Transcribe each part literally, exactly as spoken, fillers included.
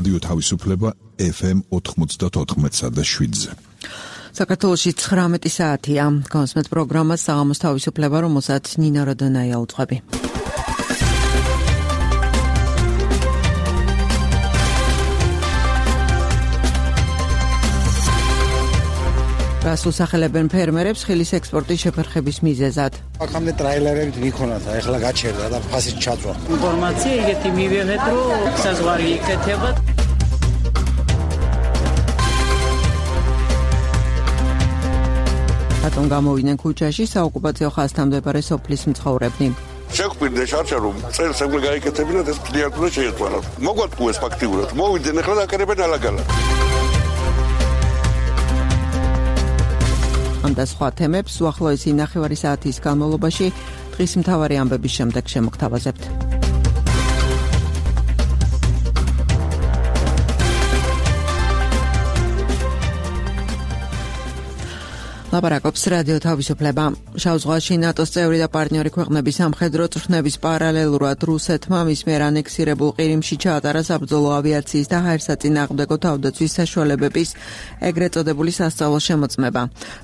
რადიო თავისუფლება ეფ ემ ოთხმოცდაოთხ და შვიდზე. საქართველოში ცხრამეტი საათია. კონსმეთ პროგრამა საღამოს თავისუფლება, რომელსაც ნინა როდონაია უძღვები. რას უსახელებენ ფერმერებს ხილის ექსპორტის შეფერხების მიზეზად? აქამდე ტრაილერებით ვიქონათ, ახლა გაჩერდა და ფასით ჩაწვა. ინფორმაცია იგეთი მივიღეთ, რომ საზღვარი იქეთება. რატომ გამოვიდნენ ქუჩაში საოკუპაციო ხაზთან მდებარე სოფლის მცხოვრებნი? შეგვირდა შარშა რომ წელს ეგრე გაიკეთებინათ ეს კლიენტ უნდა შეეწვალათ. მოგვატყუეს ფაქტიურად. მოვიდნენ ახლა და აკერებენ ალაგალად. ამ და სხვა თემებს უახლოესი ნახევარი საათის განმავლობაში დღის მთავარი ამბების შემდეგ შემოგთავაზებთ. ლაპარაკობს რადიო თავისუფლება. შავ ზღვაში ნატოს წევრი და პარტნიორი ქვეყნების სამხედრო წვრთნების პარალელურად რუსეთმა მის მიერ ანექსირებულ ყირიმში ჩაატარა საბრძოლო ავიაციის და ჰაერსაწინააღმდეგო თავდაცვის საშუალებების ეგრეთ წოდებული სასწავლო შემოწმება.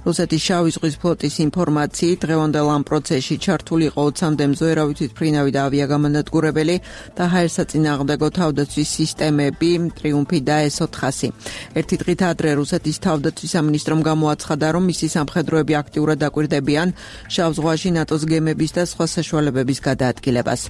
რუსეთის შავი ზღვის ფლოტის ინფორმაციით დღევანდელ ამ პროცესში ჩართული იყო ოცამდე მზვერავი თვითმფრინავი და ავიაგამონადგურებელი და ჰაერსაწინააღმდეგო თავდაცვის სისტემები ტრიუმფი და ეს ოთხასი. ერთი დღით ადრე რუსეთის თავდაცვის სამინისტრომ გამოაცხადა, რომ მისი სამხედროები აქტიურად დაკვირდებიან შავ ზღვაში ნატოს გემების და სხვა საშუალებების გადაადგილებას.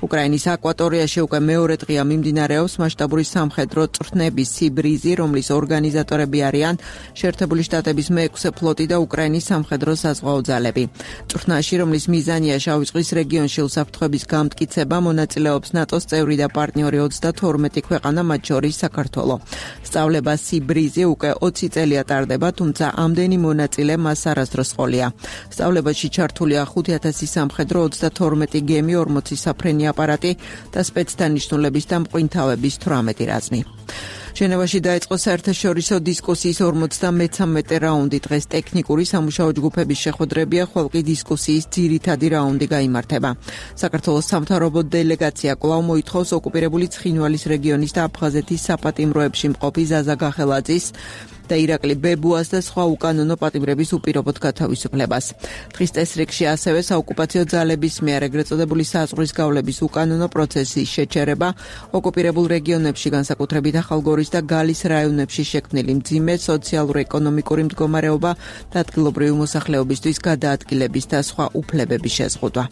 უკრაინის აკვატორიაში უკვე მეორე დღეა მიმდინარეობს მასშტაბური სამხედრო წვრთნების სიბრიზი, რომლის ორგანიზატორები არიან შეერთებული შტატების მეექვსე ფლოტი და უკრაინის სამხედრო საზღვაო ძალები. წვრთნაში, რომლის მიზანია შავი ზღვის რეგიონში უსაფრთხოების გამტკიცება, მონაწილეობს ნატოს წევრი და პარტნიორი ოცდათორმეტი ქვეყანა, მათ შორის საქართველო. სწავლება სიბრიზი უკვე ოცი წელია ტარდება, თუმცა ამდენი მონაწილე მას არასდროს ყოლია. სწავლებაში ჩართულია ხუთი ათასი სამხედრო, ოცდათორმეტი გემი, ორმოცი საფრენი აპარატი და სპეცდანიშნულების და მყინთავების თვრამეტი რაზმი. ჟენევაში დაიწყო საერთაშორისო დისკუსიის ორმოცდამეცამეტე რაუნდი. დღეს ტექნიკური სამუშაო ჯგუფების შეხვედრებია, ხოლმე დისკუსიის ძირითადი რაუნდი გაიმართება. საქართველოს სამთავრობო დელეგაცია კვლავ მოითხოვს ოკუპირებული ცხინვალის რეგიონის და აფხაზეთის საპატიმროებში მყოფი ზაზა გახელაძის და ირაკლი ბებუას და სხვა უკანონო პატიმრების უპირობოდ გათავისუფლებას. დღის წესრიგში ასევე საოკუპაციო ძალების მიერ ეგრეთ წოდებული საზღვრის გავლების უკანონო პროცესის შეჩერება, ოკუპირებულ რეგიონებში, განსაკუთრებით ახალგორის და გალის რაიონებში შექმნილი მძიმე სოციალურ-ეკონომიკური მდგომარეობა და ადგილობრივი მოსახლეობისთვის გადაადგილების და სხვა უფლებების შეზღუდვა.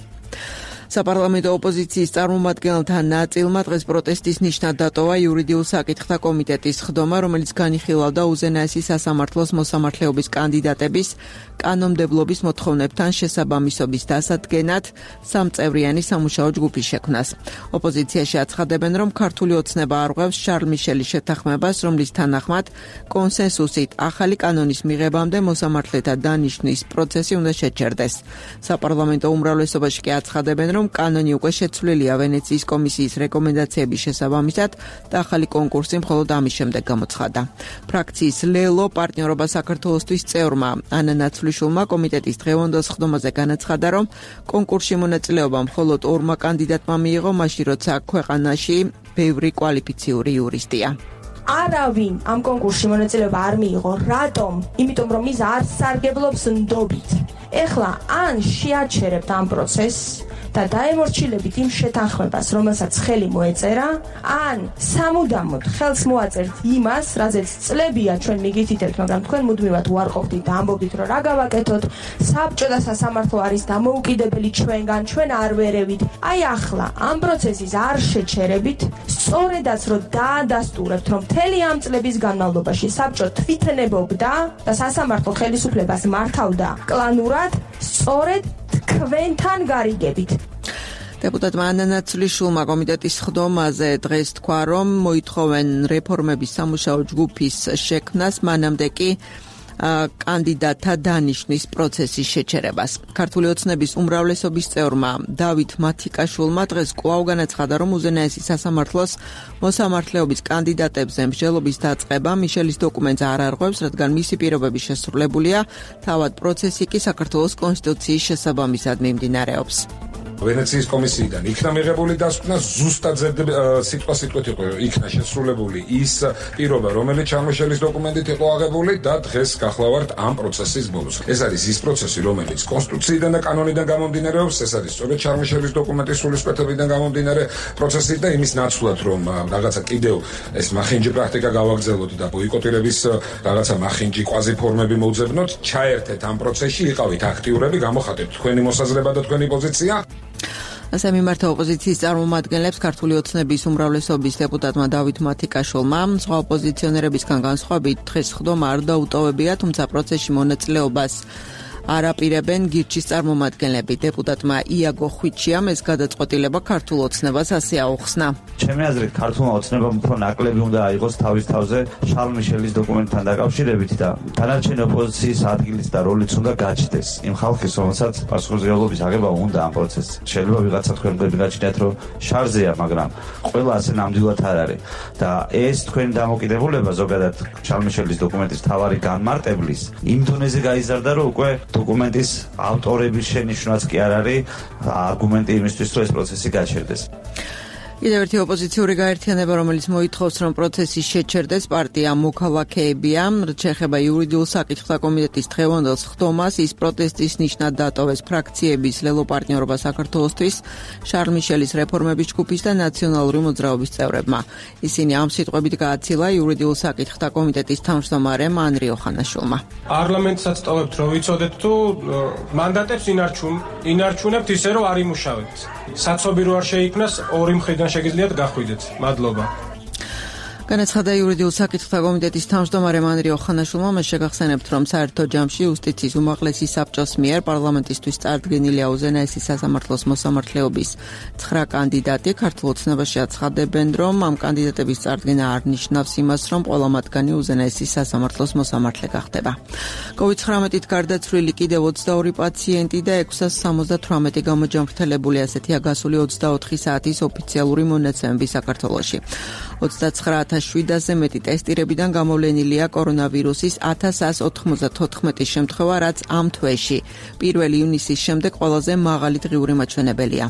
საპარლამენტო ოპოზიციის წარმომადგენელთა ნაწილმა დღეს პროტესტის ნიშნად დატოვა იურიდიულ საკითხთა კომიტეტის ხდომა, რომელიც განიხილავდა უზენაესი სასამართლოს მოსამართლეობის კანდიდატების კანონმდებლობის მოთხოვნებთან შესაბამისობის დასადგენად სამწევრიანი სამუშაო ჯგუფის შექმნას. ოპოზიციაში აცხადებენ, რომ ქართული ოცნება არღვევს შარლ მიშელის შეთანხმებას, რომლის თანახმად კონსენსუსით ახალი კანონის მიღებამდე მოსამართლეთა დანიშვნის პროცესი უნდა შეჩერდეს. საპარლამენტო უმრავლესობაში კი აცხადებენ, რომ კანონი უკვე შეცვლილია ვენეციის კომისიის რეკომენდაციების შესაბამისად და ახალი კონკურსი მხოლოდ ამის შემდეგ გამოცხადა. ფრაქციის ლელო პარტნიორობა საქართველოსთვის წევრმა ანა ნაცვლიშვილმა კომიტეტის დღევანდელ ხდომაზე განაცხადა, რომ კონკურსში მონაწილეობა მხოლოდ ორმა კანდიდატმა მიიღო, მაშინ როცა ქვეყანაში ბევრი კვალიფიციური იურისტია. არავინ ამ კონკურსში მონაწილეობა არ მიიღო. რატომ? იმიტომ რომ ის არ სარგებლობს ნდობით. ეხლა ან შეაჩერებთ ამ პროცესს და დაემორჩილებით იმ შეთანხმებას, რომელსაც ხელი მოეწერა, ან სამუდამოდ ხელს მოაწერთ იმას, რაზეც წლებია ჩვენ მიგითითებთ, მაგრამ თქვენ მუდმივად უარყოფდით და ამბობდით, რომ რა გავაკეთოთ, საბჭო და სასამართლო არის დამოუკიდებელი ჩვენგან, ჩვენ არ ვერევით. აი ახლა ამ პროცესის არ შეჩერებით, სწორედაც რომ დაადასტურებთ, რომ მთელი ამ წლების განმავლობაში საბჭო თვითნებობდა და სასამართლო ხელისუფლებას მართავდა კლანურად, სწორედ თქვენთან გარიგებით. დეპუტატმა ანა ნაცვლიშვილმა კომიტეტის ხდომაზე დღეს თქვა, რომ მოითხოვენ რეფორმების სამუშაო ჯგუფის შექმნას, მანამდე კი კანდიდატთა დანიშვნის პროცესის შეჩერებას. ქართული ოცნების უმრავლესობის წევრმა დავით მათიკაშვილმა დღეს კვლავ განაცხადა, რომ უზენაესი სასამართლოს მოსამართლეობის კანდიდატებზე მსჯელობის დაწყება მიშელის დოკუმენტს არ არღვევს, რადგან მისი პირობები შესრულებულია, თავად პროცესი კი საქართველოს კონსტიტუციის შესაბამისად მიმდინარეობს. ვენეციის კომისიიდან იქნა მიღებული დასკვნა, ზუსტად სიტყვა სიტყვით იყო იქნა შესრულებული ის პირობა, რომელიც ჩამოშლის დოკუმენტით იყო აღებული და დღეს გახლავართ ამ პროცესის ბოლოს. ეს არის ის პროცესი, რომელიც კონსტიტუციიდან და კანონიდან გამომდინარეობს, ეს არის სწორედ ჩამოშლის დოკუმენტის სულისკვეთებიდან გამომდინარე პროცესი და იმის ნაცვლად, რომ რაღაცა კიდევ ეს მახინჯი პრაქტიკა გავაგრძელოთ და ბოიკოტირების რაღაცა მახინჯი კვაზი ფორმები მოვძებნოთ, ჩაერთეთ ამ პროცესში, იყავით აქტიურები, გამოხატეთ თქვენი მოსაზრება და თქვენი პოზიცია. ასე მიმართა ოპოზიციის წარმომადგენლებს ქართული ოცნების უმრავლესობის დეპუტატმა დავით მათიკაშვილმა სხვა ოპოზიციონერებისგან განსხვავებით დღეს ხდომა არ დაუტოვებია, თუმცა პროცესში მონაწილეობას არ აპირებენ გირჩის წარმომადგენლები. დეპუტატმა იაგო ხვიჩიამ ეს გადაწყვეტილება ქართულ ოცნებას ასე აუხსნა. ჩემი აზრით, ქართულმა ოცნებამ უფრო ნაკლები უნდა აიღოს თავის თავზე შარლ მიშელის დოკუმენტთან დაკავშირებით და დანარჩენი ოპოზიციის ადგილიც და როლიც უნდა გაჩნდეს. იმ ხალხის, რომელსაც პასუხისმგებლობის აღება უნდა ამ პროცესში. შეიძლება ვიღაცა თქვენ გაჩნიათ, რომ შარლზეა, მაგრამ ყველა ასე ნამდვილად არ არის. და ეს თქვენი დამოკიდებულება ზოგადად შარლ მიშელის დოკუმენტის თავარი განმარტებლის იმ დონეზე გაიზარდა, რომ უკვე დოკუმენტის ავტორების შენიშვნაც კი არ არის არგუმენტი იმისთვის, რომ ეს პროცესი გაჩერდეს. კიდევ ერთი ოპოზიციური გაერთიანება, რომელიც მოითხოვს, რომ პროცესი შეჩერდეს, პარტია მოქალაქეებია. შეეხება იურიდიულ საკითხთა კომიტეტის დღევანდელ ხდომას, ის პროტესტის ნიშნად დატოვეს ფრაქციების ლელო პარტნიორობა საქართველოსთვის, შარლ მიშელის რეფორმების ჯგუფის და ნაციონალური მოძრაობის წევრებმა. ისინი ამ სიტყვებით გააცილა იურიდიულ საკითხთა კომიტეტის თავმჯდომარემ ანრი ოხანაშვილმა. პარლამენტსაც ტოვებთ, რომ ვიცოდეთ თუ მანდატებს ინარჩუნ, ინარჩუნებთ ისე, რომ არ იმუშავებთ. საცობი რო არ შეიქმნას, ორი მხრიდან შეგიძლიათ გახვიდეთ. მადლობა. განაცხადა იურიდიულ საკითხთა კომიტეტის თავმჯდომარე ანრი ოხანაშვილმა, მას შეგახსენებთ, რომ საერთო ჯამში იუსტიციის უმაღლესი საბჭოს მიერ პარლამენტისთვის წარდგენილია უზენაესი სასამართლოს მოსამართლეობის ცხრა კანდიდატი. ქართულ ოცნებაში აცხადებენ, რომ ამ კანდიდატების წარდგენა არ ნიშნავს იმას, რომ ყველა მათგანი უზენაესი სასამართლოს მოსამართლე გახდება. კოვიდ ცხრამეტით გარდაცვლილი კიდევ ოცდაორი პაციენტი და ექვსას სამოცდათვრამეტი გამოჯანმრთელებული, ასეთია გასული ოცდაოთხი საათის ოფიციალური მონაცემები საქართველოში. ოცდაცხრა ათას მეტი ტესტირებიდან გამოვლენილია კორონავირუსის ათას ათს ოთხმოცდათოთხმეტი შემთხვევა, რაც ამ თვეში პირველი ივნისის შემდეგ ყველაზე მაღალი დღიური მაჩვენებელია.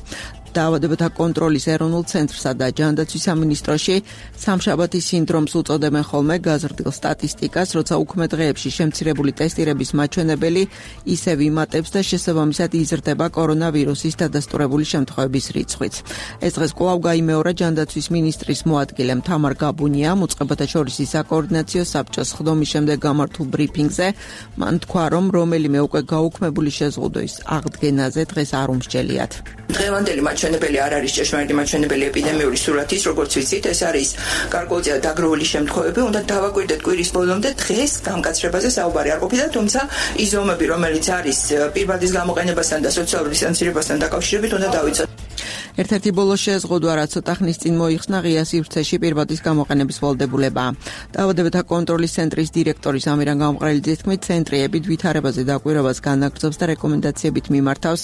დაავადებათა კონტროლის ეროვნულ ცენტრსა და ჯანდაცვის სამინისტროში სამშაბათის სინდრომს უწოდებენ ხოლმე გაზრდილ სტატისტიკას, როცა უქმე დღეებში შემცირებული ტესტირების მაჩვენებელი ისევ იმატებს და შესაბამისად იზრდება კორონავირუსის დადასტურებული შემთხვევების რიცხვიც. ეს დღეს კვლავ გაიმეორა ჯანდაცვის მინისტრის მოადგილემ თამარ გაბუნიამ უწყებათა შორის საკოორდინაციო საბჭოს ხდომის შემდეგ გამართულ ბრიფინგზე. მან თქვა, რომ რომელიმე უკვე გაუქმებული შეზღუდვის აღდგენაზე დღეს არ უმსჯელიათ. დღევანდელი მაჩვენებელი არ არის ჭეშმარიტი მაჩვენებელი ეპიდემიური სურათის, როგორც ვიცით, ეს არის გარკვეულწილად დაგროვილი შემთხვევები. უნდა დავაკვირდეთ კვირის ბოლომდე, დღეს გამკაცრებაზე საუბარი არ ყოფილა, თუმცა ის ზომები, რომელიც არის პირბადის გამოყენებასთან და სოციალური დისტანცირებასთან დაკავშირებით, უნდა დავიცოთ. ერთ-ერთი ბოლო შეზღუდვა, რაც ცოტა ხნის წინ მოიხსნა, ღია სივრცეში პირბადის გამოყენების ვალდებულებაა. დაავადებათა კონტროლის ცენტრის დირექტორის ამირან გამყრელიძის თქმით, ცენტრი ებით ვითარებაზე დაკვირვებას განაგრძობს და რეკომენდაციებით მიმართავს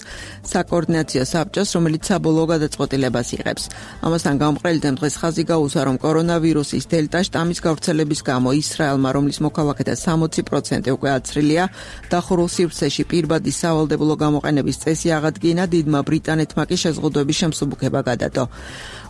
საკოორდინაციო საბჭოს, რომელიც საბოლოო გადაწყვეტილებას იღებს. ამასთან გამყრელიძემ დღეს ხაზი გაუსვა, რომ კორონავირუსის დელტა შტამის გავრცელების გამო ისრაელმა, რომლის მოქალაქეთა სამოცი პროცენტი უკვე აცრილია, დახურულ სივრცეში პირბადის სავალდებულო გამოყენების წესი აღადგინა, დიდმა ბრიტანეთმა კი შეზღუდვების შემსუბუქება გადადო.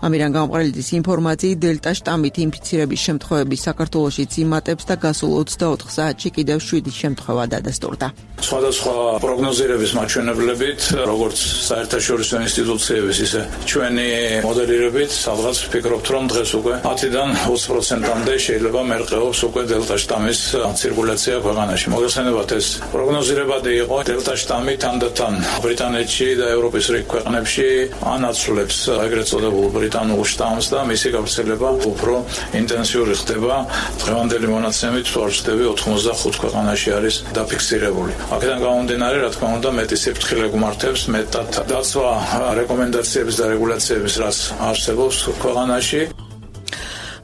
ამირან გამყრელიძის ინფორმაციით, დელტა შტამით ინფიცირების შემთხვევები საქართველოშიც იმატებს და გასულ ოცდაოთხ საათში კიდევ შვიდი შემთხვევა დადასტურდა. სხვადასხვა პროგნოზირების მაჩვენებლებით, როგორც საერთაშორისო ინსტიტუციების, ისე ჩვენი მოდელირებით, სადღაც ვფიქრობთ, რომ დღეს უკვე ათიდან ოცი პროცენტამდე შეიძლება მერყეობს უკვე დელტა შტამის ცირკულაცია ქვეყანაში. მოგეხსენებათ, ეს პროგნოზირებადი იყო. დელტა შტამი თანდათან ბრიტანეთში და ევროპის რიგ ქვეყნებში ანაცვლებს ეგრეთ წოდებულ ბრიტანულ შტამს და მისი გავრცელება უფრო ინტენსიური ხდება. დღევანდელი მონაცემით თუ არ ვცდები, ოთხმოცდახუთ ქვეყანაში არის დაფიქსირებული. აქედან გამომდინარე, რა თქმა უნდა, მეტი სიფრთხილე გუმართებს, მეტად დაცვა რეკომენდაციების და რეგულაციების, რაც არსებობს ქვეყანაში.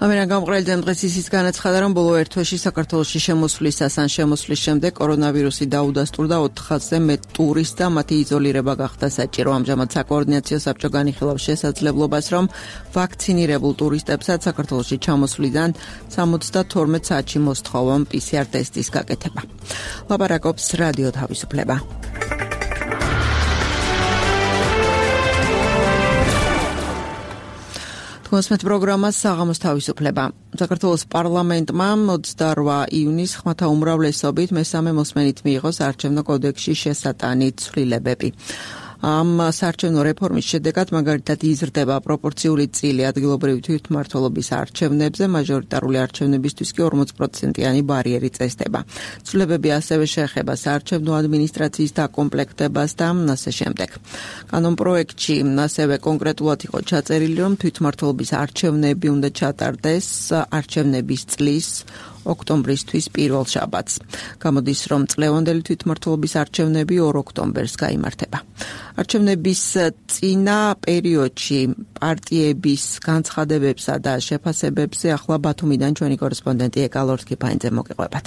ამერან გამყრელიძემ დღეს ისიც განაცხადა, რომ ბოლო ერთ თვეში საქართველოში შემოსვლისას ან შემოსვლის შემდეგ კორონავირუსი დაუდასტურდა ოთხასზე მეტ ტურისტს და მათი იზოლირება გახდა საჭირო. ამჟამად საკოორდინაციო საბჭო განიხილავს შესაძლებლობას, რომ ვაქცინირებულ ტურისტებსაც საქართველოში ჩამოსვლიდან სამოცდათორმეტ საათში მოსთხოვონ პი სი არ ტესტის გაკეთება. ლაპარაკობს რადიო თავისუფლება. Მოსმეთ პროგრამას საღამოს თავისუფლება. საქართველოს პარლამენტმა ოცდაორ იუნის ხმათა უმრავლესობით მესამე მოსმენით მიიღო საარჩევნო კოდექსში შესატანი ცვლილებები. ამ საარჩევნო რეფორმის შედეგად მაგალითად იზრდება პროპორციული წილი ადგილობრივი თვითმმართველობის არჩევნებზე, მაჟორიტარული არჩევნებისთვის კი ორმოც პროცენტიანი ბარიერი წესდება. ცვლილებები ასევე შეეხება საარჩევნო ადმინისტრაციის დაკომპლექტებას და ასე შემდეგ. კანონპროექტში ასევე კონკრეტულად იყო ჩაწერილი, რომ თვითმმართველობის არჩევნები უნდა ჩატარდეს არჩევნების წლის ოქტომბრისთვის პირველ შაბათს. გამოდის, რომ წლევანდელი თვითმმართველობის არჩევნები ორ ოქტომბერს გაიმართება. არჩევნების წინა პერიოდში პარტიების განცხადებებსა და შეფასებებზე ახლა ბათუმიდან ჩვენი კორესპონდენტი ეკა ლორთქიფანიძე მოგიყვებათ.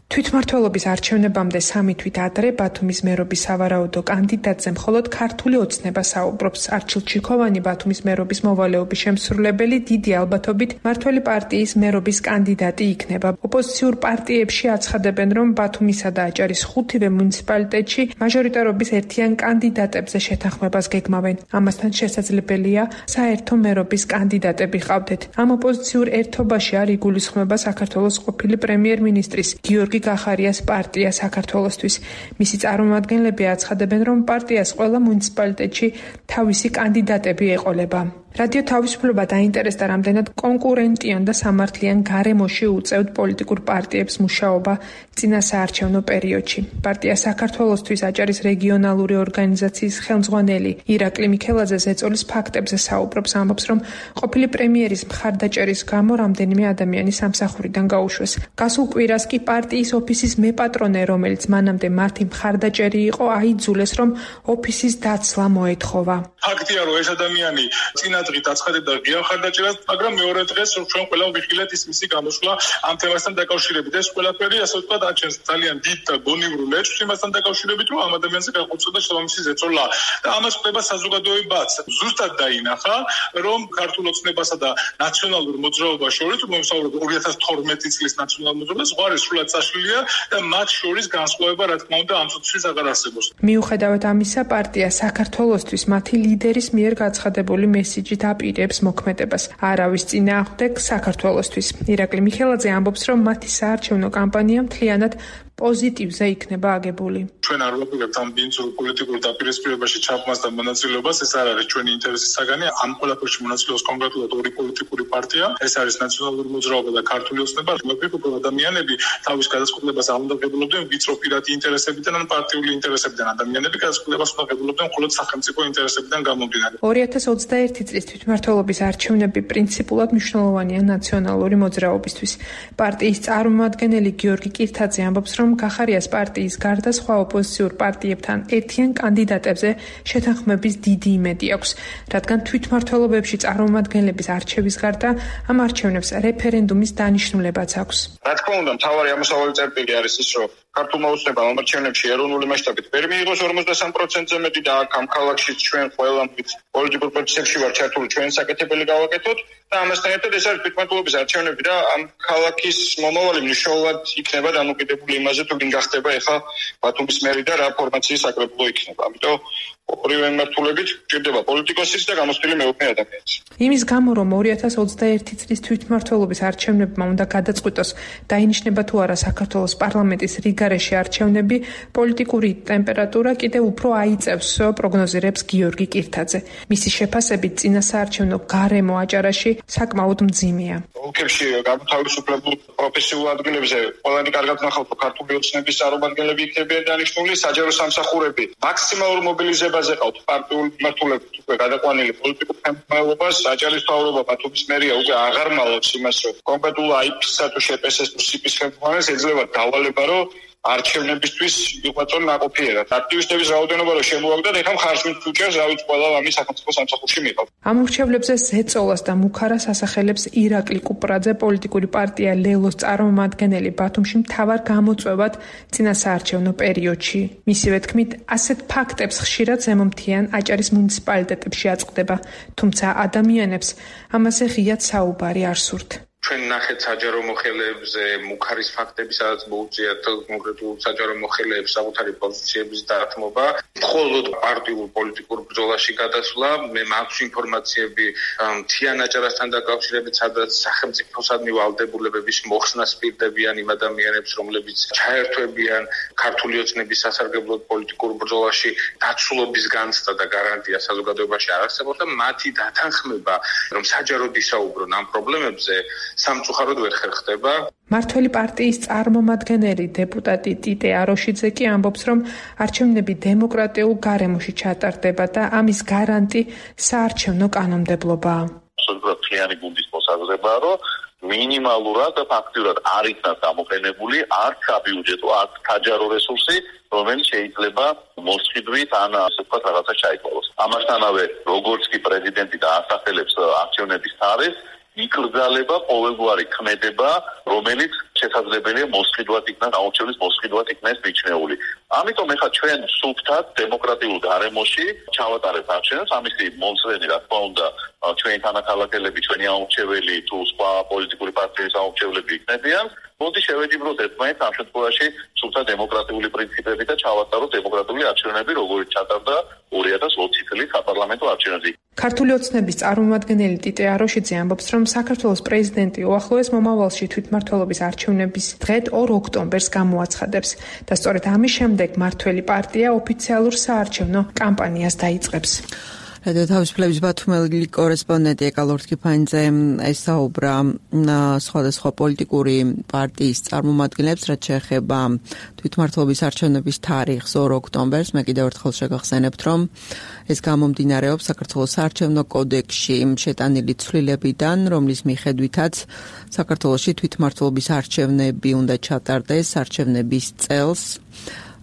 თვითმმართველობის არჩევნებამდე სამი თვით ადრე ბათუმის მერობის სავარაუდო კანდიდატზე მხოლოდ ქართული ოცნება საუბრობს. არჩილ ჩიქოვანი, ბათუმის მერობის მოვალეობის შემსრულებელი, დიდი ალბათობით მმართველი პარტიის მერობის კანდიდატი იქნება. ოპოზიციურ პარტიებში აცხადებენ, რომ ბათუმისა და აჭარის ხუთივე მუნიციპალიტეტში მაჟორიტარობის ერთიან კანდიდატებზე შეთანხმებას გეგმავენ. ამასთან შესაძლებელია საერთო მერობის კანდიდატები ყავდეთ. ამ ოპოზიციურ ერთობაში არ იგულისხმება საქართველოს ყოფილი პრემიერ-მინისტრის გიორგი გახარიას პარტია საქართველოსთვის. მისი წარმომადგენლები აცხადებენ, რომ პარტიას ყველა მუნიციპალიტეტში თავისი კანდიდატები ეყოლება. რადიო თავისუფლება დაინტერესდა, რამდენად კონკურენტიან და სამართლიან გარემოში უწევთ პოლიტიკურ პარტიებს მუშაობა წინა საარჩევნო პერიოდში. პარტია საქართველოსთვის აჭარის რეგიონალური ორგანიზაციის ხელმძღვანელი ირაკლი მიქელაძე ზეწოლის ფაქტებზე საუბრობს, ამბობს, რომ ყოფილი პრემიერის მხარდაჭერის გამო რამდენიმე ადამიანი სამსახურიდან გაუშვეს. გასულ კვირას კი პარტიის ოფისის მეპატრონე, რომელიც მანამდე მათი მხარდაჭერი იყო, აიძულეს, რომ ოფისის დაცლა მოეთხოვა. ფაქტია, რომ ეს ადამიანი წინა დღით აცხადებდა ღია მხარდაჭერას, მაგრამ მეორე დღეს ჩვენ ყველა ვიხილეთ ის მისი გამოსვლა ამ თემასთან დაკავშირებით. ეს ყველაფერი, ასე ვთქვათ, აჩენს ძალიან დიდ და გონივრულ ეჭვს იმასთან დაკავშირებით, რომ ამ ადამიანზე განხორციელდა შესაბამისი ზეწოლა და ამას ხდება საზოგადოებაც. ზუსტად დაინახა, რომ ქართულ ოცნებასა და ნაციონალურ მოძრაობას შორის, მომსაუბრებ ორი ათას თორმეტი წლის ნაციონალურ მოძრაობას, ზღვარი სრულად საშლილია და მათ შორის განსხვავება, რა თქმა უნდა, ამ წუთის აღარ არსებობს. მიუხედავად ამისა, პარტია საქართველოსთვის მათი ლიდერის მიერ გაცხადებული მესიჯით აპირებს მოქმედებას. არავის წინააღმდეგ საქართველოსთვის. ირაკლი მიქელაძე ამბობს, რომ მათი საარჩევნო კამპანია მთლიანად პოზიტივზე იქნება აგებული. ჩვენ არ ვაპირებთ ამ ბინძურ პოლიტიკურ დაპირისპირებაში ჩაბმას და მონაწილეობას, ეს არ არის ჩვენი ინტერესის საგანი. ამ ყველაფერში მონაწილეობს კონკრეტულად ორი პოლიტიკური პარტია, ეს არის ნაციონალური მოძრაობა და ქართული ოცნება. მეგობრებო, ადამიანები თავის გადაწყვეტილებას არ უნდა ღებულობდნენ ვიწრო პირადი ინტერესებიდან ან პარტიული ინტერესებიდან. ადამიანები გადაწყვეტილებას უნდა ღებულობდნენ მხოლოდ სახელმწიფო ინტერესებიდან გამომდინარე. ორი ათას ოცდაერთი წლის თვითმმართველობის არჩევნები პრინციპულად მნიშვნელოვანია ნაციონალური მოძრაობისთვის. პარტიის წარმომადგენელი გიორგი კირთაძე ამბობს, რომ გახარიას პარტიის გარდა სხვა ოპოზიციურ პარტიებთან ერთიან კანდიდატებზე შეთანხმების დიდი იმედი აქვს, რადგან თვითმმართველობებში წარმომადგენლების არჩევის გარდა ამ არჩევნებს რეფერენდუმის დანიშნულებაც აქვს. რა თქმა უნდა, მთავარი ამოსავალი წერტილი არის ის, რომ ქართულმა ოცნებამ ამ არჩევნებში ეროვნული მასშტაბით ვერ მიიღოს ორმოცდასამ პროცენტზე მეტი და აქ ამ ქალაქშიც ჩვენ ყველა პოლიტიკურ პროცესებში ვარ ჩართული, ჩვენ საკეთებელი გავაკეთოთ და ამასთან ერთად ეს არის თვითმმართველობის არჩევნები და ამ ქალაქის მომავალი მნიშვნელოვნად იქნება დამოკიდებული იმაზე, თუ ვინ გახდება ეხლა ბათუმის მერი და რა ფორმაციის საკრებულო იქნება. ამიტომ ორივე მიმართულებით ჭირდება პოლიტიკოსის და გამოცდილი მეუღლე ადამიანის. იმის გამო, რომ ორი ათას ოცდაერთი წლის თვითმმართველობის არჩევნებმა უნდა გადაწყვიტოს, დაინიშნება თუ არა საქართველოს პარლამენტის რიგარეში არჩევნები, პოლიტიკური ტემპერატურა კიდევ უფრო აიწევს, პროგნოზირებს გიორგი კირთაძე. მისი შეფასებით წინა საარჩევნო გარემო აჭარაში საკმაოდ მძიმეა. ოლქებში განთავისუფლებულ პროფესიულ ადგილებზე ყველანი კარგად ნახავთ, ქართული ოცნების წარმომადგენლები იქნებიან დანიშნული, საჯარო სამსახურები მაქსიმალურ მობილიზებაზე ყავთ პარტიული მიმართულებით უკვე გადაყვანილი პოლიტიკურ ხელმძღვანელობას, აჭარის მთავრობა, ბათუმის მერია უკვე აღარ მალავს იმას, რომ კონკრეტულ აიფ-ს თუ შპს-ს თუ სიპ-ის ხელმძღვანელს ეძლევა დავალება, რომ არჩევნებისთვის იყვაწონ ნაყოფიერად. აქტივისტების რაოდენობა რომ შემოაგდათ, ეხლა მხარს მით უჭერს, რა ვიცი, ყველა ამის სახელმწიფო სამსახურში მიყავ. ამ ურჩევლებზე ზეწოლას და მუქარას ასახელებს ირაკლი კუპრაძე, პოლიტიკური პარტია ლელოს წარმომადგენელი ბათუმში მთავარ გამოწვევად წინა საარჩევნო პერიოდში. მისივე თქმით, ასეთ ფაქტებს ხშირად ზემომთიან აჭარის მუნიციპალიტეტებში აწყდება, თუმცა ადამიანებს ამაზე ღიად საუბარი არ სურთ. ჩვენ ნახეთ საჯარო მოხელეებზე მუქარის ფაქტები, სადაც მოუწიათ კონკრეტულ საჯარო მოხელეებს საკუთარი პოზიციების დათმობა, მხოლოდ პარტიულ პოლიტიკურ ბრძოლაში გადასვლა. მე მაქვს ინფორმაციები მთიან აჭარასთან დაკავშირებით, სადაც სახელმწიფოსადმი ვალდებულებების მოხსნას პირდებიან იმ ადამიანებს, რომლებიც ჩაერთვებიან ქართული ოცნების სასარგებლოდ პოლიტიკურ ბრძოლაში. დაცულობის განცდა და გარანტია საზოგადოებაში არ არსებობს და მათი დათანხმება, რომ საჯაროდ ისაუბრონ ამ პრობლემებზე, სამწუხაროდ ვერ ხერხდება. მართველი პარტიის წარმომადგენელი დეპუტატი ტიტე აროშიძე კი ამბობს, რომ არჩევნები დემოკრატიულ გარემოში ჩატარდება და ამის გარანტი საარჩევნო კანონმდებლობაა. absolutურად მთლიანი გუნდის მოსაზრებაა, რომ მინიმალურად და ფაქტიურად არ იქნას გამოყენებული არც საბიუჯეტო, არც საჯარო რესურსი, რომელიც შეიძლება მოსყიდვით ან ასე ვთქვათ რაღაცა ჩაიყვანოს. ამასთანავე, როგორც კი პრეზიდენტი და ასახელებს არჩევნების თარიღს, იკრძალება ყოველგვარი ქმედება, რომელიც შესაძლებელია მოსყიდვად იქნას, აუჩევლის მოსყიდვად იქნას მიჩნეული. ამიტომ ეხლა ჩვენ სუფთად დემოკრატიულ გარემოში ჩავატარებთ არჩევნებს, ამისი მომსვლელი რა თქმა უნდა ჩვენი თანახმადებლები, ჩვენი აუჩეველი თუ სხვა პოლიტიკური პარტიების აუჩევლები იქნებიან. მოდი შევეჯიბროთ ერთმანეთს ამ შემთხვევაში სუფთა დემოკრატიული პრინციპები და ჩავატაროთ დემოკრატიული არჩევნები, როგორც ჩატარდა ორი ათას ოცი წლის საპარლამენტო არჩევნებზე. ქართული ოცნების წარმომადგენელი ტიტე აროშიძე ამბობს, რომ საქართველოს პრეზიდენტი უახლოეს მომავალში თვითმმართველობის არჩევნების დღედ ორ ოქტომბერს გამოაცხადებს და სწორედ ამის შემდეგ მართველი პარტია ოფიციალურ საარჩევნო კამპანიას დაიწყებს. რადიო თავისუფლების ბათუმელი კორესპონდენტი ეკალორთ კიფანიძე ესაუბრა სხვადასხვა პოლიტიკური პარტიის წარმომადგენლებს, რაც შეეხება თვითმმართველობის არჩევნების თარიღს ორ ოქტომბერს. მე კიდევ ერთხელ შეგახსენებთ, რომ ეს გამომდინარეობს საქართველოს საარჩევნო კოდექსში შეტანილი ცვლილებიდან, რომლის მიხედვითაც საქართველოში თვითმმართველობის არჩევნები უნდა ჩატარდეს არჩევნების წელს.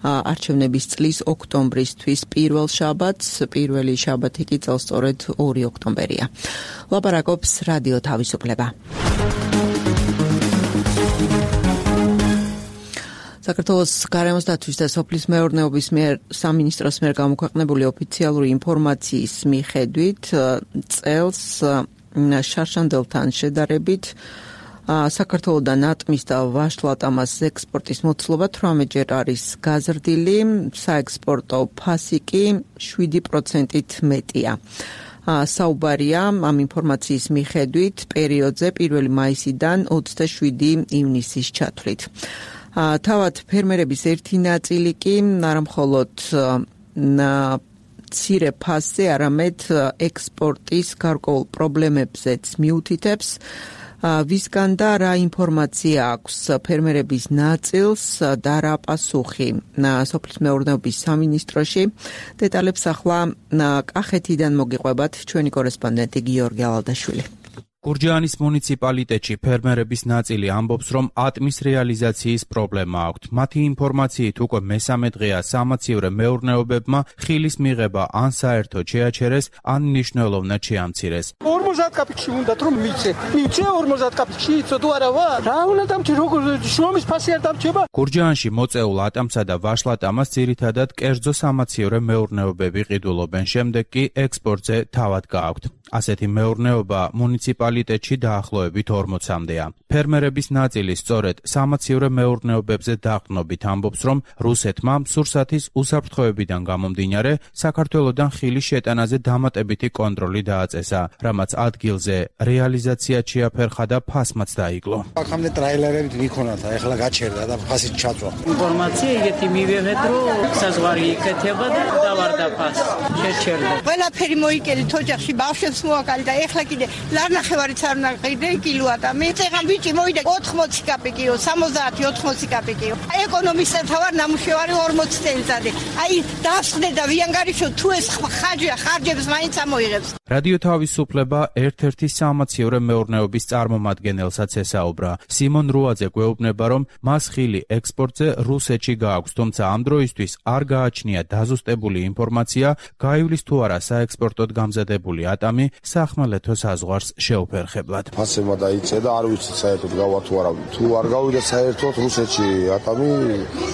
არჩევნების წლის ოქტომბრისთვის პირველ შაბათს, პირველი შაბათი კი წელს სწორედ ორი ოქტომბერია. ლაპარაკობს რადიო თავისუფლება. საქართველოს გარემოს დაცვის და სოფლის მეურნეობის მიერ სამინისტროს მიერ გამოქვეყნებული ოფიციალური ინფორმაციის მიხედვით წელს შარშანდელთან შედარებით საქართველოდან ატმის და ვაშლატამას ექსპორტის მოცულობა თვრამეტჯერ არის გაზრდილი, საექსპორტო ფასი კი შვიდი პროცენტით მეტია. საუბარია ამ ინფორმაციის მიხედვით პერიოდზე პირველი მაისიდან ოცდაშვიდი ივნისის ჩათვლით. თავად ფერმერების ერთი ნაწილი კი არამხოლოდ მცირე ფასზე, არამედ ექსპორტის გარკვეულ პრობლემებზეც მიუთითებს. ვისგან და რა ინფორმაცია აქვს ფერმერების ნაწილს და რა პასუხი სოფლის მეურნეობის სამინისტროში. დეტალებს ახლა კახეთიდან მოგიყვებათ ჩვენი კორესპონდენტი გიორგი ალადაშვილი. გურჯაანის მუნიციპალიტეტში ფერმერების ნაწილი ამბობს, რომ ატმის რეალიზაციის პრობლემა აქვთ. მათი ინფორმაციით უკვე მესამე დღეა სამაცივრე მეურნეობებმა ხილის მიღება ან საერთოდ შეაჩერეს, ან მნიშვნელოვნად შეამცირეს. ორმოცდაათ კაპიკში უნდათ რომ მიცე. მიცე ორმოცდაათ კაპიკში იცო თუ არა ვარ? რა უნდა დამჭი როგორ შრომის ფასი არ დამჭება? გურჯაანში მოწეულ ატამსა და ვაშლატამას ძირითადად კერძო სამაცივრე მეურნეობები ყიდულობენ, შემდეგ კი ექსპორტზე თავად გააქვთ. ასეთი მეურნეობა მუნიციპალიტეტში დაახლოებით ორმოცამდეა. ფერმერების ნაწილი სწორედ სამაცივრე მეურნეობებზე დაყრდნობით ამბობს, რომ რუსეთმა სურსათის უსაფრთხოებიდან გამომდინარე საქართველოდან ხილის შეტანაზე დამატებითი კონტროლი დააწესა, რამაც ადგილზე რეალიზაციად შეაფერხა და ფასმაც დაიკლო. აქამდე ტრაილერებით მიქონათ, ახლა გაჩერდა და ფასი ჩაწვა. ინფორმაცია იგეთი მივიღეთ, რომ საზღვარი იქეთება და დავარდა ფასი. შეჩერდა. ყველაფერი მოიკელით ოჯახში ბავშვებს მოაკალი და ეხლა კიდე ლარნახევარიც არ უნდა ყიდე კილოა. მე წეგან ბიჭი მოვიდა ოთხმოცი კაპიკიო, სამოცდაათი ოთხმოცი კაპიკიო. ეკონომისტთა ვარ ნამუშევარი ორმოცი წელიწადი. აი დასხდე და ვიანგარიშო თუ ეს ხარჯია, ხარჯებს მაინც ამოიღებს. რადიო თავისუფლება ერთ-ერთი სამაცივრე მეურნეობის წარმომადგენელსაც ესაუბრა. სიმონ რუაძე გვეუბნება, რომ მას ხილი ექსპორტზე რუსეთში გააქვს, თუმცა ამ დროისთვის არ გააჩნია დაზუსტებული ინფორმაცია, გაივლის თუ არა საექსპორტოდ გამზადებული ატამი სახმელეთო საზღვარს შეუფერხებლად. შეუფერხებლად. ფასებმა დაიწე და არ ვიცი საერთოდ გავა თუ არა. თუ არ გავიდა საერთოდ რუსეთში ატამი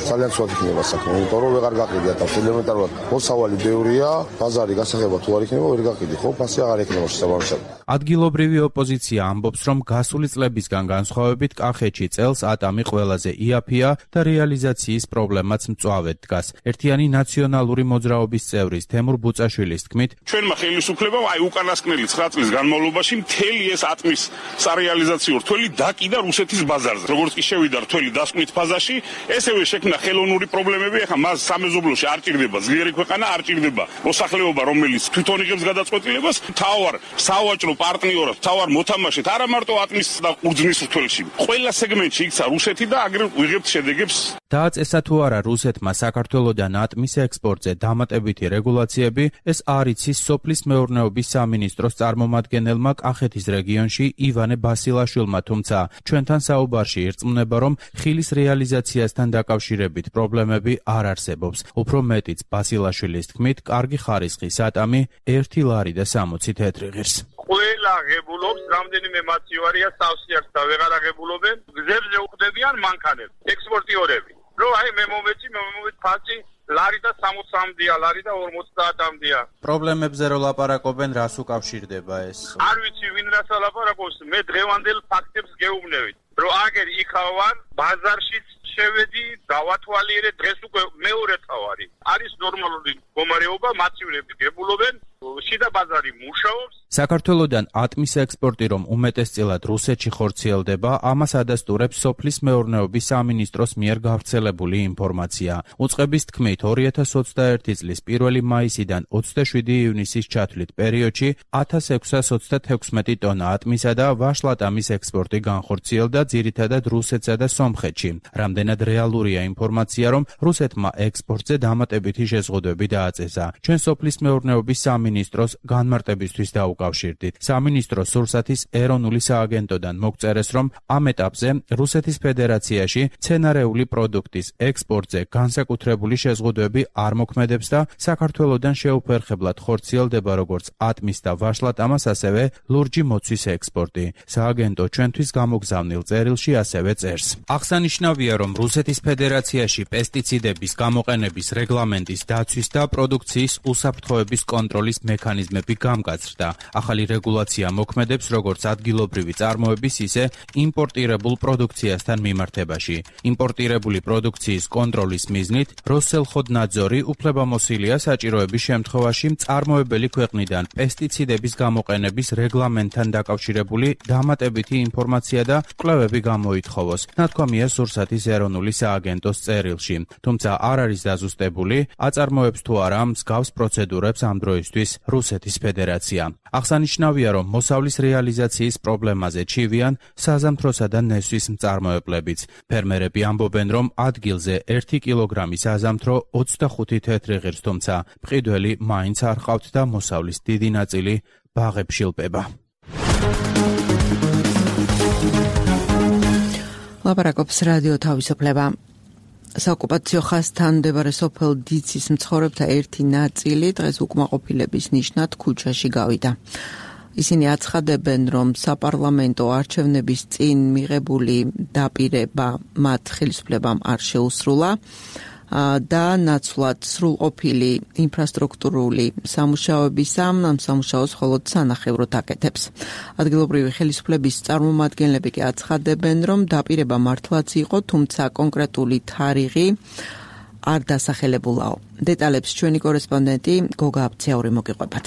ძალიან ცუდად იქნება საქმე, იმიტომ რომ ვეღარ გაყიდი ატამს ელემენტარულად. მოსავალი ბევრია, ბაზარი გასაღება თუ არ იქნება ვერ გაყიდი, ხო? ფასი აღარ იქნება შესაბამისად. ადგილობრივი ოპოზიცია ამბობს, რომ გასული წლებისგან განსხვავებით კახეთში წელს ატამი ყველაზე იაფია და რეალიზაციის პრობლემაც მწვავედ დგას. ერთიანი ნაციონალური მოძრაობის წევრის თემურ ბუწაშვილის თქმით, ჩვენმა ხელისუფლებამ აი უკანასკნელი ცხრა წლის განმავლობაში მთელი ეს ატმის სარეალიზაციო რთველი დაკიდა რუსეთის ბაზარზე. როგორც კი შევიდა რთველი დასკვნით ფაზაში, ესევე შექმნა ხელოვნური პრობლემები. ახლა მას სამეზობლოში არ ჭირდება ძლიერი ქვეყანა, არ ჭირდება მოსახლეობა, რომელიც თვითონ იღებს გადაწყვეტილებას. თავარ სავაჭრო პარტნიორად, თავარ მოთამაშედ არა მარტო ატმის და ყურძნის რთველში. ყველა სეგმენტში იქცა რუსეთი და აგრე ვიღებთ შედეგებს. დააწესა თუ არა რუსეთმა საქართველოდან ატმის ექსპორტზე დამატებითი რეგულაციები, ეს არ იცის სოფლის მეურნეობის სამინისტროს წარმომადგენელმა კახეთის რეგიონში ივანე ბასილაშვილმა, თუმცა ჩვენთან საუბარში ირწმუნება, რომ ხილის რეალიზაციასთან დაკავშირებით პრობლემები არ არსებობს. უფრო მეტიც ბასილაშვილის თქმით, კარგი ხარისხის ატამი ერთი ლარი და სამოცი თეთრი ღირს. ყველა ღებულობს, რამდენიმე მაცივარია სავსეარს და ვეღარ აღებულობენ, გზებზე უხდებიან მანქანები, ექსპორტიორები. რო აი მე მომეცი, მე მომეცი ფასი ლარი და სამოცამდეა, ლარი და ორმოცდაათამდეა. პრობლემებზე რო ლაპარაკობენ, რას უკავშირდება ეს? არ ვიცი ვინ რას ლაპარაკობს, მე დღევანდელ ფაქტებს გეუბნებით. რო აგერ იქა ვარ, ბაზარშიც შევედი, დავათვალიერე, დღეს უკვე მეორე თავარი. არის ნორმალური მდგომარეობა, მაცივრები გებულობენ, შიდა ბაზარი მუშაობს. საქართველოდან ატმის ექსპორტი რომ უმეტესწილად რუსეთში ხორციელდება, ამას ადასტურებს სოფლის მეურნეობის სამინისტროს მიერ გავრცელებული ინფორმაცია. უწყების თქმით, ორი ათას ოცდაერთი წლის პირველი მაისიდან ოცდაშვიდი ივნისის ჩათვლით პერიოდში ათას ექვსას ოცდათექვსმეტი ტონა ატმისა და ვაშლატამის ექსპორტი განხორციელდა ძირითადად რუსეთსა და სომხეთში. რამდენად რეალურია ინფორმაცია, რომ რუსეთმა ექსპორტზე დამატებითი შეზღუდვები დააწესა. ჩვენ სოფლის მეურნეობის სამინისტროს განმარტებისთვის დაუკავშირდით. სამინისტრო სურსათის ეროვნული სააგენტოდან მოგწერეს, რომ ამ ეტაპზე რუსეთის ფედერაციაში მცენარეული პროდუქტის ექსპორტზე განსაკუთრებული შეზღუდვები არ მოქმედებს და საქართველოდან შეუფერხებლად ხორციელდება როგორც ატმის და ვაშლატამას, ასევე ლურჯი მოცვის ექსპორტი. სააგენტო ჩვენთვის გამოგზავნილ წერილში ასევე წერს. აღსანიშნავია, რომ რუსეთის ფედერაციაში პესტიციდების გამოყენების რეგლამენტის დაცვის და პროდუქციის უსაფრთხოების კონტროლის მექანიზმები გამგაცრდა. ახალი რეგულაცია მოქმედებს როგორც ადგილობრივი წარმოების, ისე იმპორტირებულ პროდუქციასთან მიმართებაში. იმპორტირებული პროდუქციის კონტროლის მიზნით როსელხოდნაძორი უფლებამოსილია საჭიროების შემთხვევაში მწარმოებელი ქვეყნიდან პესტიციდების გამოყენების რეგლამენტთან დაკავშირებული დამატებითი ინფორმაცია და კვლევები გამოითხოვოს. ნათქვამია სურსათის ეროვნული სააგენტოს წერილში. თუმცა არ არის დაზუსტებული, აწარმოებს თუ არა მსგავს პროცედურებს ამ დროისთვის რუსეთის ფედერაცია. აღსანიშნავია, რომ მოსავლის რეალიზაციის პრობლემაზე ჩივიან საზამთროსა და ნესვის მწარმოებლებიც. ფერმერები ამბობენ, რომ ადგილზე ერთი კილოგრამი საზამთრო ოცდახუთი თეთრი ღირს, თუმცა მყიდველი მაინც არ ყავთ და მოსავლის დიდი ნაწილი ბაღებში ლპება. ლაპარაკობს რადიო თავისუფლება. საოკუპაციო ხაზთან მდებარე სოფელ დიცის მცხოვრებთა ერთი ნაწილი დღეს უკმაყოფილების ნიშნად ქუჩაში გავიდა. ისინი აცხადებენ, რომ საპარლამენტო არჩევნების წინ მიღებული დაპირება მათ ხელისუფლებამ არ შეუსრულა და ნაცვლად სრულყოფილი ინფრასტრუქტურული სამუშაოებისა ამ სამუშაოს მხოლოდ სანახევროდ აკეთებს. ადგილობრივი ხელისუფლების წარმომადგენლები კი აცხადებენ, რომ დაპირება მართლაც იყო, თუმცა კონკრეტული თარიღი არ დასახელებულაო. დეტალებს ჩვენი კორესპონდენტი გოგა აბცაური მოგიყვებათ.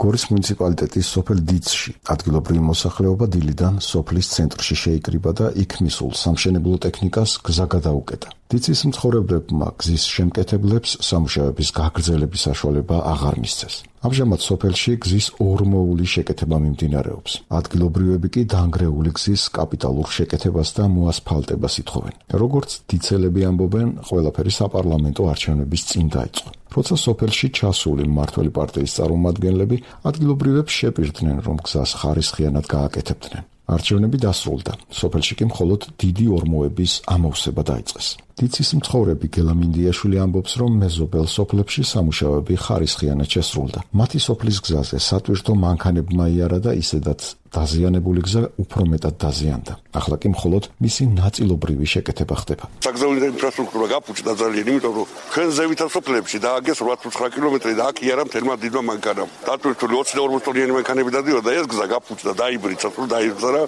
გორის მუნიციპალიტეტის სოფელ დიცში ადგილობრივი მოსახლეობა დილიდან სოფლის ცენტრში შეიკრიბა და იქ მისულ სამშენებლო ტექნიკას გზა გადაუკეტა. დიცის მცხოვრებლებმა გზის შემკეთებლებს სამუშაოების გაგრძელების საშუალება აღარ მისცეს. ამჟამად სოფელში გზის ორმოული შეკეთება მიმდინარეობს. ადგილობრივები კი დანგრეული გზის კაპიტალურ შეკეთებას და მოასფალტებას ითხოვენ. როგორც დიცელები ამბობენ, ყველაფერი საპარლამენტო არჩევნების წინ დაიწყო. როცა სოფელში ჩასული მმართველი პარტიის წარმომადგენლები ადგილობრივებს შეპირდნენ, რომ გზას ხარისხიანად გააკეთებდნენ. არჩევნები დასრულდა. სოფელში კი მხოლოდ დიდი ორმოების ამოვსება დაიწყეს. დიცის მცხოვრები გელა მინდიაშვილი ამბობს, რომ მეზობელ სოფლებში სამუშაოები ხარისხიანად შესრულდა. მათი სოფლის გზაზე სატვირთო მანქანებმა იარა და ისედაც დაზიანებული გზა უფრო მეტად დაზიანდა. ახლა კი მხოლოდ მისი ნაწილობრივი შეკეთება ხდება. საგზავნილი ინფრასტრუქტურა გაფუჭდა ძალიან, იმიტომ რომ ჩვენ ზევითა სოფლებში დააგეს ოცდაოთხ კილომეტრი და აქ იარა მთელმა დიდმა მანქანამ. დატვირთული ოცი და ორმოცი ტონიანი მანქანები დადიოდა, ეს გზა გაფუჭდა, დაიბრიცა, თუ დაიბრცა რა.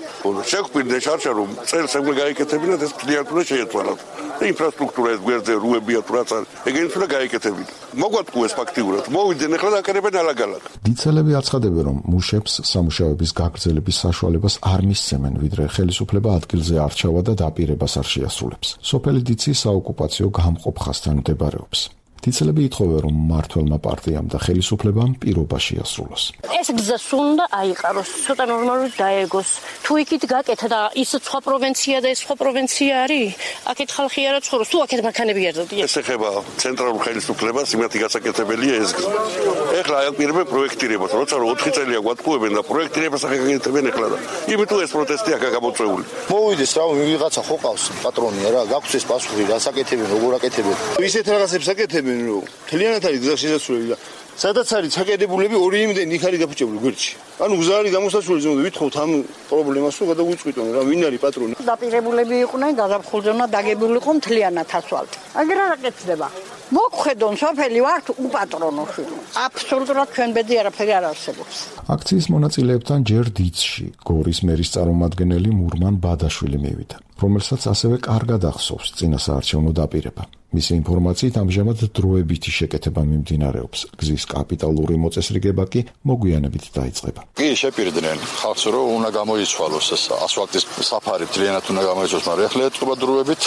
შეგვპირდა შარშა რომ წელს ეგრე გაიკეთებინათ, ეს მთლიანად უნდა შეეცვალათ. ინფრასტრუქტურა ეს გვერდზე რუებია თუ რაც არის. ეგენიც უნდა გაიკეთებინათ. მოგვატყუეს ფაქტიურად. მოვიდნენ ახლა და აკეთებენ ალაგ-ალაგ. დიცელები აცხადებენ, რომ მუშებს სამუშაოების გაგრძელების საშუალებას არ მისცემენ, ვიდრე ხელისუფლება ადგილზე არჩევა და დაპირებას არ შეასრულებს. სოფელი დიცი საოკუპაციო გამყოფ ხაზთან მდებარეობს. დიცელები ითხოვენ, რომ მმართველმა პარტიამ და ხელისუფლებამ პირობა შეასრულოს. ეს გზა უნდა აიყაროს, ცოტა ნორმალურად დაეგოს. თუ იქით გაკეთა და ის სხვა პროვინცია და ეს სხვა პროვინცია არის, აქეთ ხალხი არა ცხოვრობს, თუ აქეთ მანქანები არ დადიან. ეს ეხება ცენტრალურ ხელისუფლებას, იმათი გასაკეთებელია ეს გზა. ეხლა აიყირებენ პროექტირებას, როცა რომ ოთხი წელია გვატყუებენ და პროექტირებას აკეთებენ ეხლა და იმიტომ ეს პროტესტი აქა გამოწვეული. მოვიდეს რა, ვიღაცა ხო ყავს პატრონია რა, გაქვს ეს პასუხი, რასაკეთებენ, როგორ აკეთებენ. ისეთ რაღაცებს აკეთებენ, რომ თლიანად არის გზა შესაძლებელი და სადაც არის ჩაკეტებულები ორი იმდენ იქ არის გაფუჭებული გვერდში. ანუ გზა არის გამოსასვლელი ზემოთ ვითხოვთ ამ პრობლემას რომ გადაგვიწყვიტონ რა, ვინ არის პატრონი. დაპირებულები იყვნენ, გაზაფხულზენა დაგებულიყო მთლიანად ასვალთ. აგერ არ აკეთდება. მოგხედონ სოფელი ვართ უპატრონოში. აბსოლუტურად ჩვენ ბედი არაფერი არ არსებობს. აქციის მონაწილეებთან ჯერ დიცში გორის მერის წარმომადგენელი მურმან ბადაშვილი მივიდა, რომელსაც ასევე კარგად ახსოვს წინასაარჩევნო დაპირება. მისი ინფორმაციით ამჟამად დროებითი შეკეთება მიმდინარეობს. გზის კაპიტალური მოწესრიგება კი მოგვიანებით დაიწყება. კი, შეპირდნენ ხალხს, რომ უნდა გამოიცვალოს ეს ასფალტის საფარი, ძალიანად უნდა გამოიცვალოს, მაგრამ ეხლა ეთყობა დროებით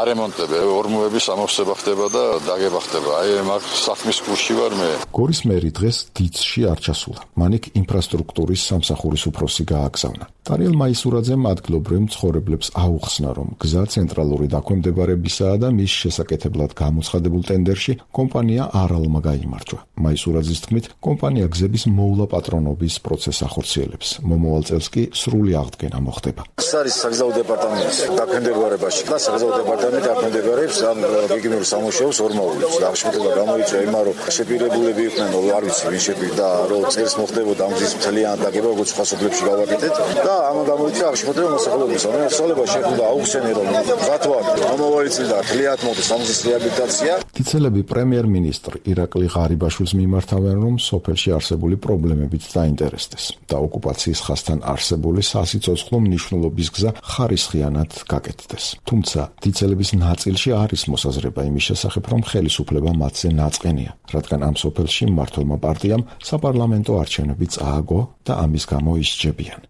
არემონტები, ორმოების ამოვსება ხდება და დაგება ხდება. აი, მაგ საქმის კურსში ვარ მე. გორის მერი დღეს დიცში არ ჩასულა. მან იქ ინფრასტრუქტურის სამსახურის უფროსი გააგზავნა. ტარიელ მაისურაძემ ადგილობრივ მცხოვრებლებს აუხსნა, რომ გზა ცენტრალური დაქვემდებარებისაა და მის შესაკეთებლად გამოცხადებულ ტენდერში კომპანია არალმა გაიმარჯვა. მაისურაძის თქმით, კომპანია გზების მოვლა პატრონობის პროცესს ახორციელებს. მომავალ წელს კი სრული აღდგენა მოხდება. ეს არის საგზაო დეპარტამენტის დაქვემდებარებაში და საგზაო დეპარტამენტი დაქვემდებარებს ამ გეგმიურ სამუშაოს ორმოვლებს. აღშფოთება გამოიწვია იმან, რომ შეპირებულები იყვნენ, არ ვიცი ვინ შეპირდა, რომ წელს მოხდებოდა ამ გზის მთლიანად დაგება, როგორც სხვა სოფლებში გავაკეთეთ და ამ გამოიწვია აღშფოთება მოსახლეობის. მოსახლეობა შეხვდა აუხსენე, რომ გათვალ მომავალი წელი და თლიანად მოხდეს ამ გზის რეაბილიტაცია. დიცელები პრემიერ-მინისტრ ირაკლი ღარიბაშვილს მიმართავენ, რომ სოფელში არსებული პრობლემებით დაინტერესდეს და ოკუპაციის ხაზთან არსებული სასიცოცხლო მნიშვნელობის გზა ხარისხიანად გაკეთდეს. თუმცა დიცელების ნაწილში არის მოსაზრება იმის შესახებ, რომ ხელისუფლება მათზე ნაწყენია, რადგან ამ სოფელში მმართველმა პარტიამ საპარლამენტო არჩევნები წააგო და ამის გამო ისჯებიან.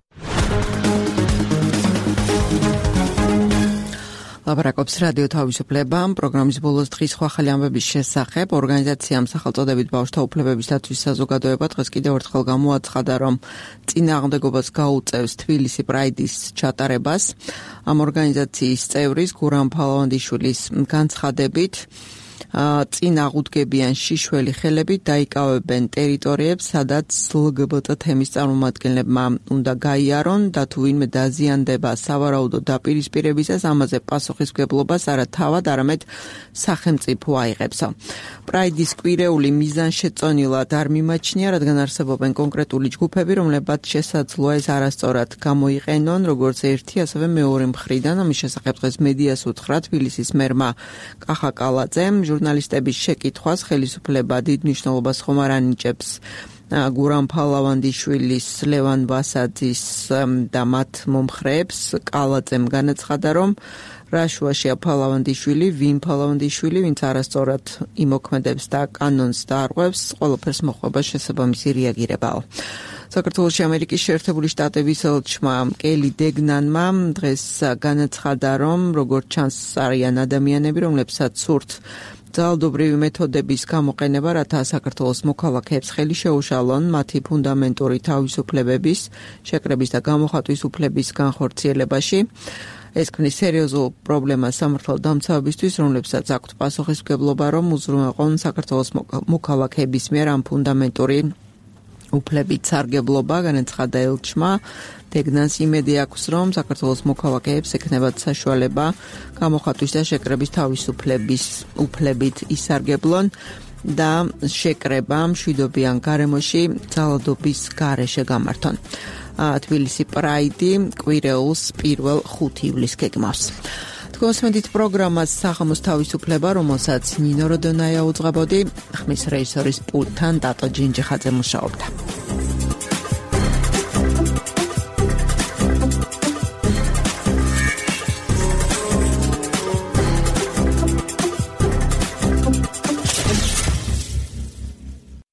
ლაპარაკობს რადიო თავისუფლება. პროგრამის ბოლოს დღის სხვა ახალი ამბების შესახებ ორგანიზაციამ სახელწოდებით ბავშვთა უფლებების დაცვის საზოგადოება დღეს კიდევ ერთხელ გამოაცხადა, რომ წინააღმდეგობას გაუწევს თბილისი პრაიდის ჩატარებას. ამ ორგანიზაციის წევრის გურამ ფალავანდიშვილის განცხადებით წინ აღუდგებიან შიშველი ხელებით დაიკავებენ ტერიტორიებს, სადაც ლგბტ თემის წარმომადგენლებმა უნდა გაიარონ და თუ ვინმე დაზიანდება სავარაუდო დაპირისპირებისას, ამაზე პასუხისმგებლობას არა თავად, არამედ სახელმწიფო აიღებს. პრაიდის კვირეული მიზანშეწონილად არ მიმაჩნია, რადგან არსებობენ კონკრეტული ჯგუფები, რომლებმაც შესაძლოა ეს არასწორად გამოიყენონ, როგორც ერთი, ასევე მეორე მხრიდან. ამის შესახებ დღეს მედიას უთხრა თბილისის მერმა კახა კალაძემ. ჟურნალისტების შეკითხვას ხელისუფლება დიდ მნიშვნელობას ხომ არ ანიჭებს გურამ ფალავანდიშვილის, ლევან ვასაძის და მათ მომხრეებს. კალაძემ განაცხადა, რომ რა შუაშია ფალავანდიშვილი, ვინ ფალავანდიშვილი, ვინც არასწორად იმოქმედებს და კანონს დაარღვევს, ყველაფერს მოხდება შესაბამისი რეაგირებაო. საქართველოში ამერიკის შეერთებული შტატების ელჩმა კელი დეგნანმა დღეს განაცხადა, რომ როგორც ჩანს არიან ადამიანები, რომლებსაც სურთ ძალადობრივი მეთოდების გამოყენება, რათა საქართველოს მოქალაქეებს ხელი შეუშალონ მათი ფუნდამენტური თავისუფლებების, შეკრების და გამოხატვის უფლების განხორციელებაში. ეს ქმნის სერიოზულ პრობლემას სამართალდამცავებისთვის, რომლებსაც აქვთ პასუხისმგებლობა, რომ უზრუნველყონ საქართველოს მოქალაქეების მიერ ამ ფუნდამენტური უფლებით სარგებლობა. განაცხადა ელჩმა. დეგნანს იმედი აქვს, რომ საქართველოს მოქალაქეებს ექნებათ საშუალება გამოხატვის და შეკრების თავისუფლების უფლებით ისარგებლონ და შეკრება მშვიდობიან გარემოში ძალადობის გარეშე გამართონ. თბილისი პრაიდი კვირეულს პირველ ხუთ ივლისს გეგმავს. თქვენსმენთ პროგრამას საღამოს თავისუფლება, რომელსაც ნინო როდონაია უძღვებოდი, ხმის რეჟისორის პულტთან დატო ჯინჯიხაძე მუშაობდა.